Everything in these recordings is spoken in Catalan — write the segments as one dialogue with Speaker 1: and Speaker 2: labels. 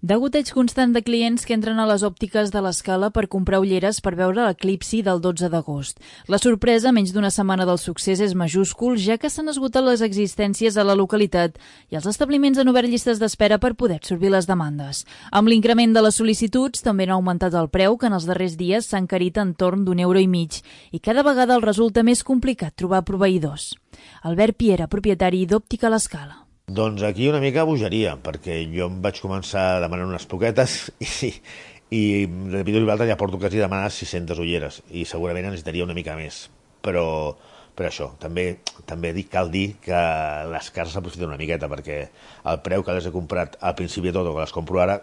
Speaker 1: Degoteig constant de clients que entren a les òptiques de l'Escala per comprar ulleres per veure l'eclipsi del 12 d'agost. La sorpresa, menys d'una setmana del succés, és majúscul, ja que s'han esgotat les existències a la localitat i els establiments han obert llistes d'espera per poder absorbir les demandes. Amb l'increment de les sol·licituds, també han augmentat el preu, que en els darrers dies s'ha encarit entorn d'1,5 €, i cada vegada el resulta més complicat trobar proveïdors. Albert Piera, propietari d'Òptica l'Escala.
Speaker 2: Doncs aquí una mica bogeria, perquè jo em vaig començar demanant unes poquetes i de Pido i Valta ja porto quasi demanat 600 ulleres i segurament necessitaria una mica més. Però això, també cal dir que les cases s'aprofiten una miqueta, perquè el preu que les he comprat al principi de tot o que les compro ara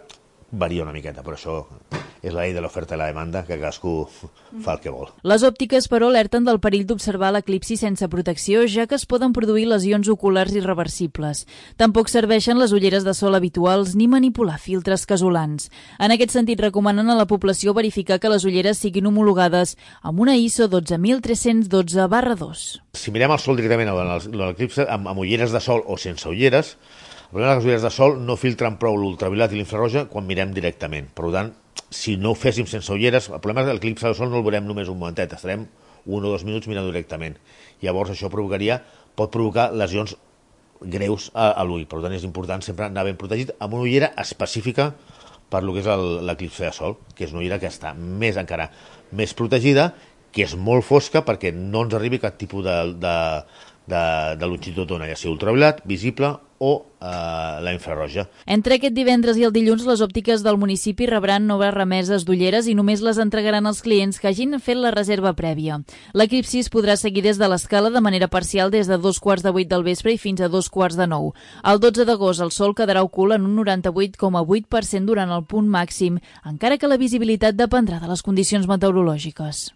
Speaker 2: varia una miqueta, però això és la llei de l'oferta i la demanda, que cadascú fa el que vol.
Speaker 1: Les òptiques, però, alerten del perill d'observar l'eclipsi sense protecció, ja que es poden produir lesions oculars irreversibles. Tampoc serveixen les ulleres de sol habituals ni manipular filtres casolans. En aquest sentit, recomanen a la població verificar que les ulleres siguin homologades amb una ISO 12312/2.
Speaker 2: Si mirem el sol directament a l'eclipsi, amb ulleres de sol o sense ulleres, el problema és que les ulleres de sol no filtren prou l'ultraviolat i l'infraroja quan mirem directament. Per tant, si no ho féssim sense ulleres, el problema és que l'eclipsi del sol no el veurem només un momentet, estarem 1 o 2 minuts mirant directament. Llavors això pot provocar lesions greus a l'ull. Per tant, és important sempre anar ben protegit amb una ullera específica per lo que és l'eclipsi de sol, que és una ullera que està encara més protegida, que és molt fosca perquè no ens arribi cap tipus de longitud d'ona, ja sigui ultraviolat, visible o la infraroja.
Speaker 1: Entre aquest divendres i el dilluns, les òptiques del municipi rebran noves remeses d'ulleres i només les entregaran als clients que hagin fet la reserva prèvia. L'eclipsi es podrà seguir des de l'Escala de manera parcial des de 7:15 del vespre i fins a 9:15. El 12 d'agost el sol quedarà ocult en un 98,8% durant el punt màxim, encara que la visibilitat dependrà de les condicions meteorològiques.